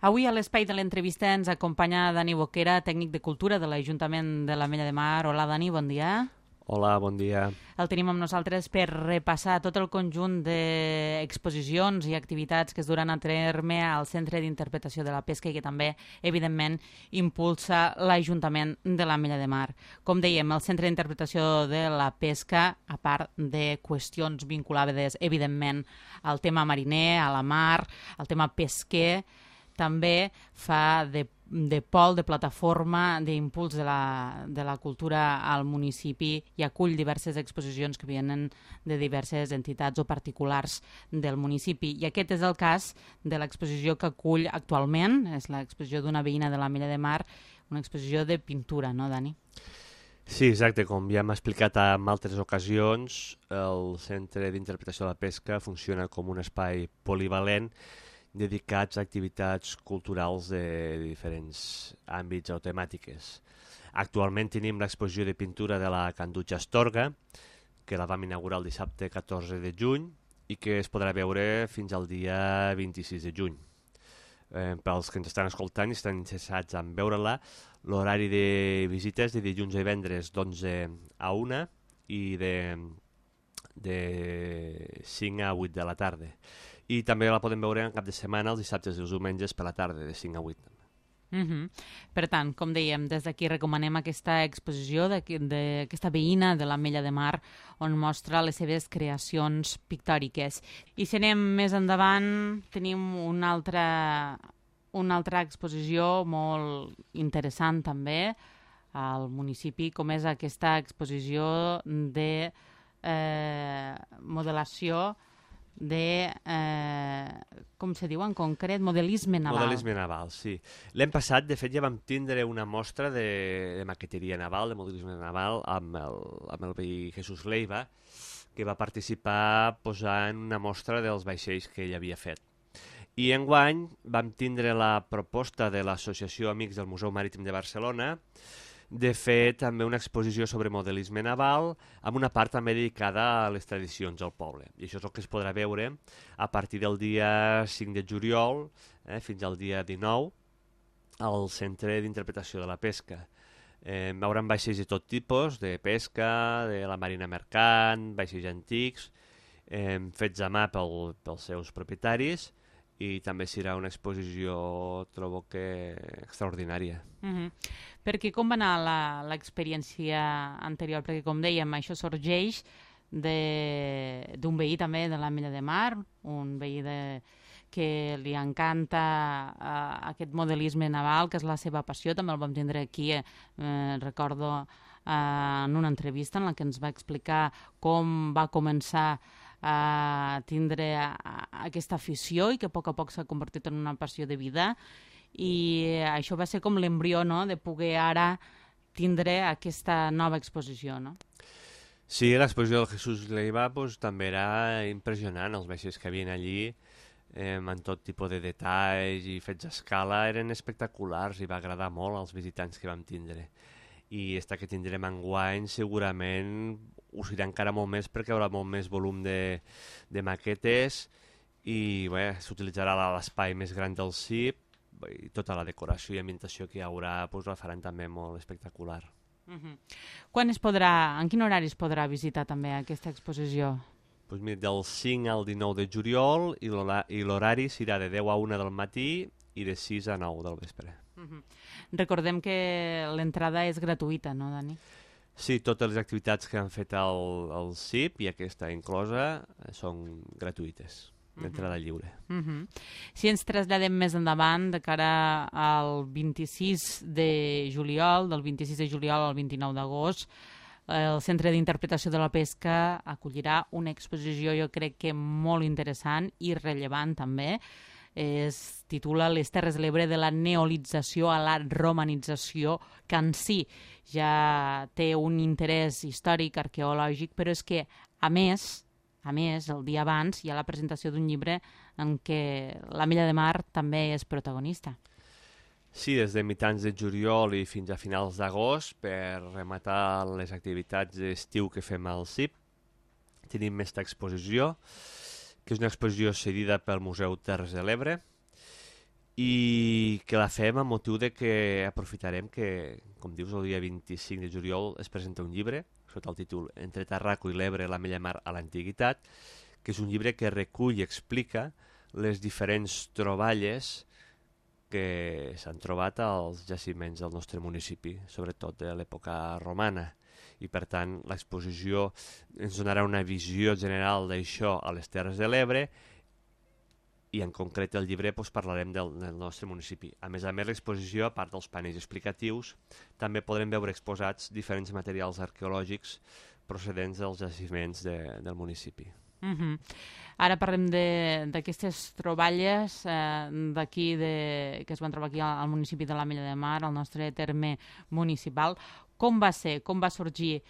Avui a l'espai de l'entrevista ens acompanya Dani Boquera, tècnic de cultura de l'Ajuntament de l'Ametlla de Mar. Hola, Dani, bon dia. Hola, bon dia. El tenim amb nosaltres per repassar tot el conjunt d'exposicions i activitats que es duran a terme al Centre d'Interpretació de la Pesca i que també, evidentment, impulsa l'Ajuntament de l'Ametlla de Mar. Com dèiem, el Centre d'Interpretació de la Pesca, a part de qüestions vinculades, evidentment, al tema mariner, a la mar, al tema pesquer, també fa de pol, de plataforma, d'impuls de la cultura al municipi i acull diverses exposicions que venen de diverses entitats o particulars del municipi. I aquest és el cas de l'exposició que acull actualment, és l'exposició d'una veïna de l'Ametlla de Mar, una exposició de pintura, no, Dani? Sí, exacte. Com ja hem explicat en altres ocasions, el Centre d'Interpretació de la Pesca funciona com un espai polivalent dedicats a activitats culturals de diferents àmbits o temàtiques. Actualment tenim l'exposició de pintura de la Canduja Astorga, que la vam inaugurar el dissabte 14 de juny i que es podrà veure fins al dia 26 de juny. Pels que ens estan escoltant i estan interessats en veure-la, l'horari de visites de dilluns a divendres d'11 a 1 i de 5 a 8 de la tarda. I també la podem veure en cap de setmana, els dissabtes i els diumenges per la tarda, de 5 a 8. Per tant, com dèiem, des d'aquí recomanem aquesta exposició d'aquesta veïna de l'Ametlla de Mar on mostra les seves creacions pictòriques. I si anem més endavant, tenim una altra exposició molt interessant també al municipi, com és aquesta exposició de modelació de, com se diu en concret, modelisme naval. Modelisme naval, sí. L'any passat, de fet, ja vam tindre una mostra de maqueteria naval, de modelisme naval, amb el veí Jesús Leiva, que va participar posant una mostra dels vaixells que ell havia fet. I enguany vam tindre la proposta de l'Associació Amics del Museu Marítim de Barcelona de fer també una exposició sobre modelisme naval amb una part també dedicada a les tradicions del poble. I això és el que es podrà veure a partir del dia 5 de juliol fins al dia 19 al Centre d'Interpretació de la Pesca. Veuran vaixells de tot tipus, de pesca, de la marina mercant, vaixells antics, fets a mà pels seus propietaris, i també serà una exposició, trobo que extraordinària. Perquè com va anar l'experiència anterior? Perquè, com dèiem, això sorgeix d'un veí també de l'Ametlla de Mar, un veí que li encanta aquest modelisme naval, que és la seva passió. També el vam tindre aquí, recordo, en una entrevista en la que ens va explicar com va començar a tindre aquesta afició i que a poc s'ha convertit en una passió de vida, i això va ser com l'embrió, no?, de poder ara tindre aquesta nova exposició, no? Sí, l'exposició del Jesús Leiva també era impressionant. Els vaixells que havien allí en tot tipus de detalls i fets a escala eren espectaculars i va agradar molt als visitants que vam tindre. I esta que tindrem enguany segurament ho serà encara molt més perquè hi haurà molt més volum de maquetes i s'utilitzarà l'espai més gran del CIP i tota la decoració i ambientació que hi haurà la faran també molt espectacular. En quin horari es podrà visitar també aquesta exposició? Del 5 al 19 de juliol i l'horari serà de 10 a 1 del matí i de 6 a 9 del vespre. Recordem que l'entrada és gratuïta, no, Dani? Sí, totes les activitats que han fet el CIP i aquesta inclosa són gratuïtes, d'entrada lliure. Si ens traslladem més endavant, de cara al 26 de juliol, del 26 de juliol al 29 d'agost, el Centre d'Interpretació de la Pesca acollirà una exposició, jo crec que molt interessant i rellevant també. Es titula Les Terres de l'Ebre de la neolització a la romanització, que en si ja té un interès històric, arqueològic, però és que, a més, el dia abans hi ha la presentació d'un llibre en què l'Ametlla de Mar també és protagonista. Sí, des de mitjans de juliol i fins a finals d'agost, per rematar les activitats d'estiu que fem al CIP, tenim aquesta exposició, que és una exposició cedida pel Museu Terres de l'Ebre i que la fem amb motiu de que aprofitarem que, com dius, el dia 25 de juliol es presenta un llibre sota el títol Entre Tarraco i l'Ebre, la Mella Mar a l'Antiguitat, que és un llibre que recull i explica les diferents troballes que s'han trobat als jaciments del nostre municipi, sobretot de l'època romana. I per tant l'exposició ens donarà una visió general d'això a les Terres de l'Ebre i en concret el llibre parlarem del nostre municipi. A més, l'exposició, a part dels panells explicatius, també podrem veure exposats diferents materials arqueològics procedents dels jaciments del municipi. Ara parlem d'aquestes troballes d'aquí que es van trobar aquí al municipi de l'Ametlla de Mar, al nostre terme municipal. Com va ser, com va sorgir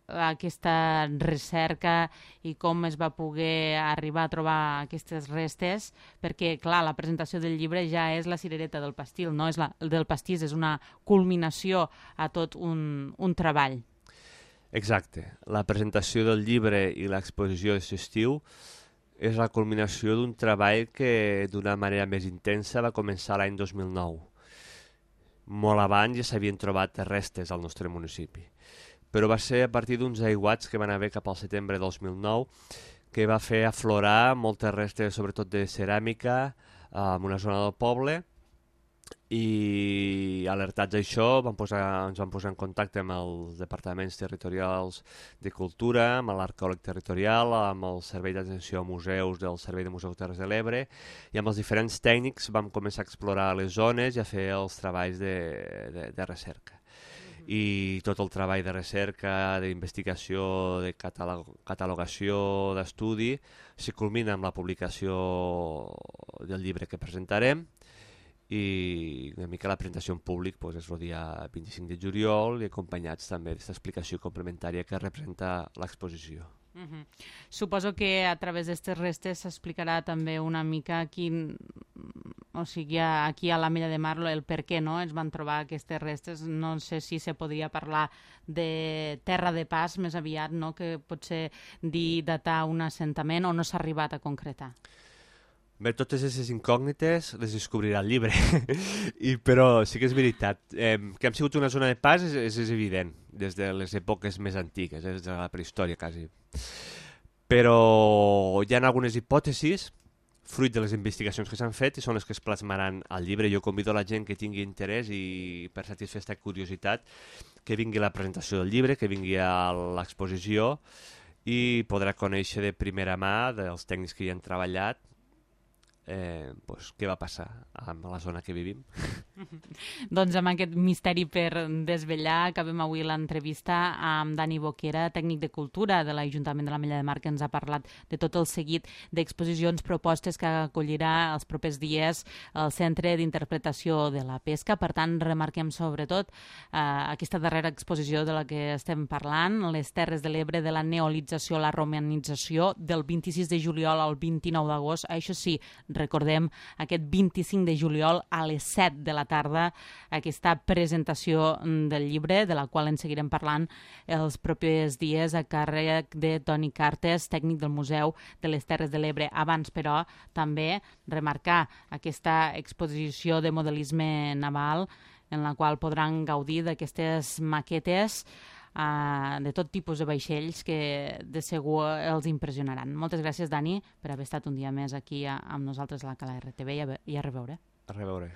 aquesta recerca i com es va poder arribar a trobar aquestes restes, perquè, clar, la presentació del llibre ja és la cirereta del pastil, no és del pastís, és una culminació a tot un treball. Exacte. La presentació del llibre i l'exposició d'aquest estiu és la culminació d'un treball que d'una manera més intensa va començar l'any 2009. Molt abans ja s'havien trobat restes al nostre municipi, però va ser a partir d'uns aiguats que van haver cap al setembre de 2009 que va fer aflorar moltes restes, sobretot de ceràmica, en una zona del poble, i alertats a això ens vam posar en contacte amb els departaments territorials de cultura, amb l'arqueòleg territorial, amb el servei d'atenció a museus del Servei de Museus Terres de l'Ebre, i amb els diferents tècnics vam començar a explorar les zones i a fer els treballs de recerca. I tot el treball de recerca, d'investigació, de catalogació, d'estudi, se culmina amb la publicació del llibre que presentarem, i una mica la presentació en públic és el dia 25 de juliol i acompanyats també d'aquesta explicació complementària que representa l'exposició. Suposo que a través d'aquestes restes s'explicarà també una mica aquí a l'Ametlla de Mar el per què no es van trobar aquestes restes. No sé si se podria parlar de terra de pas més aviat, no? Que potser datar un assentament o no s'ha arribat a concretar. Bé, totes aquestes incògnites les descobrirà el llibre, però sí que és veritat. Que hem sigut una zona de pas és evident, des de les èpoques més antigues, des de la prehistòria quasi. Però hi ha algunes hipòtesis, fruit de les investigacions que s'han fet, i són les que es plasmaran al llibre. Jo convido a la gent que tingui interès i per satisfer aquesta curiositat que vingui a la presentació del llibre, que vingui a l'exposició i podrà conèixer de primera mà dels tècnics que hi han treballat què va passar amb la zona que vivim. Doncs amb aquest misteri per desvetllar acabem avui l'entrevista amb Dani Boquera, tècnic de cultura de l'Ajuntament de l'Ametlla de Mar, que ens ha parlat de tot el seguit d'exposicions propostes que acollirà els propers dies al Centre d'Interpretació de la Pesca. Per tant, remarquem sobretot aquesta darrera exposició de la que estem parlant, les Terres de l'Ebre, de la neolització a la romanització, del 26 de juliol al 29 d'agost. Això sí, recordem aquest 25 de juliol a les 7 de la tarda aquesta presentació del llibre, de la qual en seguirem parlant els propers dies a càrrec de Toni Cartes, tècnic del Museu de les Terres de l'Ebre. Abans, però, també remarcar aquesta exposició de modelisme naval en la qual podran gaudir d'aquestes maquetes de tot tipus de vaixells que de segur els impressionaran. Moltes gràcies, Dani, per haver estat un dia més aquí amb nosaltres a la Cala RTV i a reveure. A reveure.